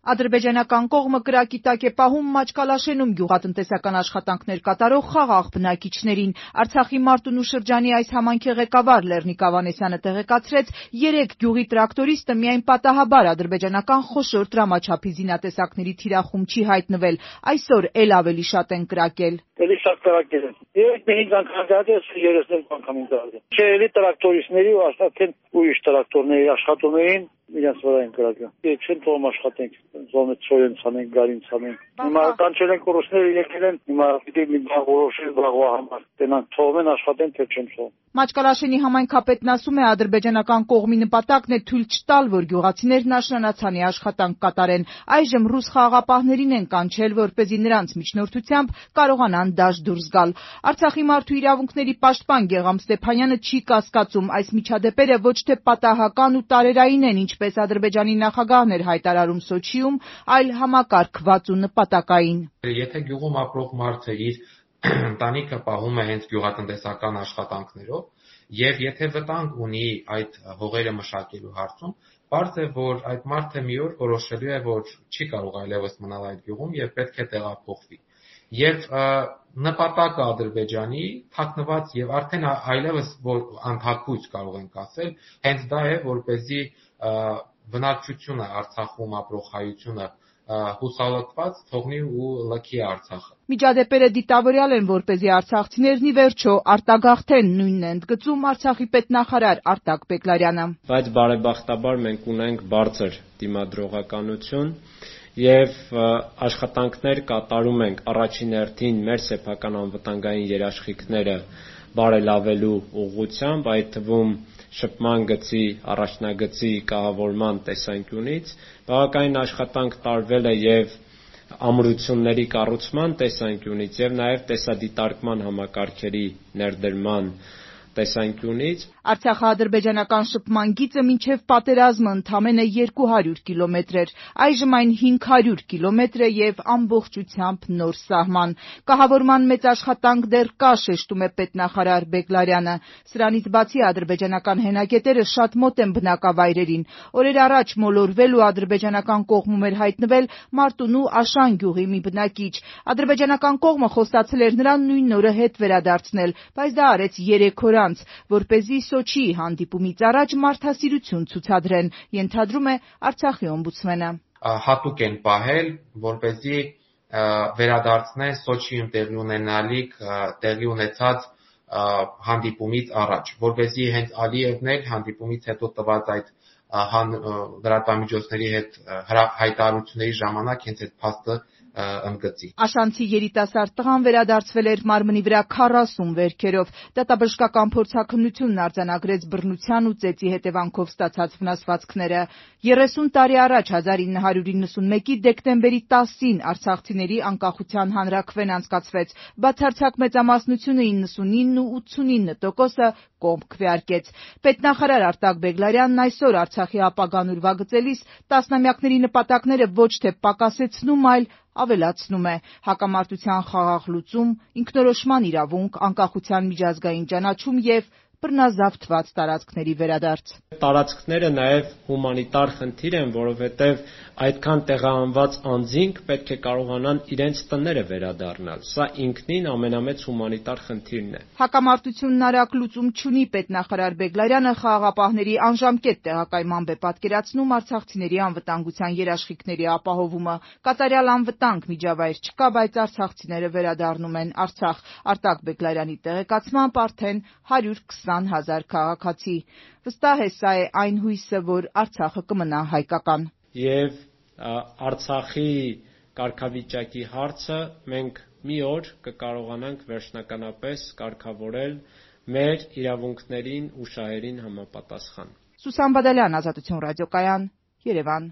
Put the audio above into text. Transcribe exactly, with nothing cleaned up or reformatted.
Ադրբեջանական կողմը կրակի տակ է պահում Մաչկալաշենում գյուղատնտեսական աշխատանքներ կատարող խաղաղ բնակիչներին։ Արցախի Մարտունու շրջանի այս համայնքի ղեկավար Լեռնիկ Ավանեսյանը տեղեկացրեց, երեք գյուղի տրակտորիստը միայն պատահաբար ադրբեջանական խոշոր դրամաչափի զինատեսակների թիրախում չի հայտնվել, այսօր էլ ավելի շատ են կրակել։ Էլի շատ կրակել են։ Երեք մեհինգ անգամ դարձել, երեսնենք անգամ դարձել։ Չէ, էլի տրակտորիստների ու աշխատեն ուրիշ տրակտորների աշխատում էին, իրենց վրա են կրակել։ Եթե չեն թողում աշխատենք, զոմը ծորեն ցանենք, գարին ցանենք։ Հիմա կանչել են կորուսները եկել են, հիմա պիտի մի բան որոշեն բաղվա համար։ Տենան թողեն աշխատեն, թե չեն թողում։ Մաչկալաշենի համայնքապետն ասում է, ադրբեջանական կողմի նպատակն է թույլ չտալ, որ գյուղացիներն աշնանացանի աշխատանք կատարեն։ Այժմ ռուս խաղաղապահներին են կանչել, որպեսզի նրանց միջնորդությամբ կարողանան դաշտ դուրս գալ։ Արցախի մարդու իրավունքների պաշտպան Գեղամ Ստեփանյանը չի կասկածում, այս միջադեպերը ոչ թե պատահական ու տարերային են, ինչպես Ադրբեջանի նախագահն էր հայտարարում Սոչիում, այլ համակարգված ու նպատակային։ Եթե գյուղում ապրող մարդը իր ընտանիքը պահում է հենց գյուղատնտեսական աշխատանքներով, եւ եթե վտանգ ունի այդ հողերը մշակելու հարցում, պարզ է, որ այդ մարդը մի օր որոշելու է, որ չի կարող այլևս մնալ այդ գյուղում եւ պետք է տեղափոխվի։ Եվ նպատակը Ադրբեջանի թաքնված եւ արդեն այլևս որ անթաքույց կարող ենք ասել, հենց դա է, որպեսզի բնակչությունը Արցախում ապրող հայությունը հուսալքված թողնի ու լքի Արցախը։ Միջադեպերը դիտավորյալ են, որպեսզի արցախցիներն ի վերջո արտագաղթեն, նույնն է ընդգծում Արցախի պետնախարար Արտակ Բեգլարյանը։ Բայց բարեբախտաբար մենք ունենք բարձր դիմադրողականություն եւ աշխատանքներ կատարում ենք առաջին հերթին մեր սեփական անվտանգային երաշխիքները բարելավելու ուղղությամբ, այդ թվում շփման գծի, առաջնագծի կահավորման տեսանկյունից, բավականին աշխատանք տարվել է եւ ամրությունների կառուցման տեսանկյունից եւ նաեւ տեսադիտարկման համակարգերի ներդրման տեսանկյունից։ Արցախա-ադրբեջանական շփման գիծը մինչև պատերազմը ընդամենը երկու հարյուր կիլոմետր էր, այժմ այն հինգ հարյուր կիլոմետր է եւ ամբողջությամբ նոր սահման։ Կահավորման մեծ աշխատանք դեռ կա, շեշտում է պետնախարար Բեգլարյանը։ Սրանից բացի ադրբեջանական հենագետերը շատ մոտ են բնակավայրերին։ Օրեր առաջ մոլորվել ու ադրբեջանական կողմում էր հայտնվել Մարտունու Աշան գյուղի մի բնակիչ։ Ադրբեջանական կողմը խոստացել էր նրան նույն օրը հետ վերադարձնել, բայց դա արեց երեք օր անց, որպեսզի Սոչիի հանդիպումից առաջ մարդասիրություն ցուցադրեն, ենթադրում է Արցախի օմբուդսմենը։ Հատուկ են պահել, որպեսզի վերադարձնեն Սոչիում տեղի ունենալիք տեղի ունեցած հանդիպումից առաջ, որպեսզի հենց Ալիևն էլ հանդիպումից հետո տված այդ լրատվամիջոցների հետ հայտարարությունների ժամանակ հենց այդ փաստը ընդգծի։ Աշանցի երիտասարդ տղան վերադարձվել էր մարմնի վրա քառասուն վերքերով։ Դատաբժշկական փորձաքննությունն արձանագրեց բռնության ու ծեծի հետևանքով ստացած վնասվածքները։ երեսուն տարի առաջ հազար ինը հարյուր իննսունմեկի դեկտեմբերի տասին արցախցիների անկախության հանրաքվեն անցկացվեց։ Բացարձակ մեծամասնությունը իննսունինն ու ութսունինը տոկոսը կողմ քվեարկեց։ Պետնախարար Արտակ Բեգլարյանն այսօր Արցախի ապագան ուրվագծելիս տասնամյակների նպատակները ոչ թե պակասեցնում, այլ ավելացնում է։ Հակամարտության խաղաղ լուծում, ինքնորոշման իրավունք, անկախության միջազգային ճանաչում եւ բռնազավթված տարածքների վերադարձ։ Տարածքները նաև հումանիտար խնդիր են, որովհետև այդքան տեղահանված անձինք պետք է կարողանան իրենց տները վերադառնալ։ Սա ինքնին ամենամեծ հումանիտար խնդիրն է։ Հակամարտությունն արագ լուծում չունի, պետնախարար Բեգլարյանը խաղաղապահների անժամկետ տեղակայմամբ է պատկերացնում արցախցիների անվտանգության երաշխիքների ապահովումը։ Կատարյալ անվտանգ միջավայր չկա, բայց արցախցիները վերադառնում են Արցախ։ Արտակ Բեգլարյանի տեղեկացմամբ արդեն հարյուր քսան հազար քաղաքացի։ Վստահ է, սա է այն հույսը, որ Արցախը կմնա հայկական։ Եվ Արցախի կարգավիճակի հարցը մենք մի օր կկարողանանք վերջնականապես կարգավորել մեր իրավունքներին ու շահերին համապատասխան։ Սուսան Բադալյան, Ազատություն ռադիոկայան, Երևան։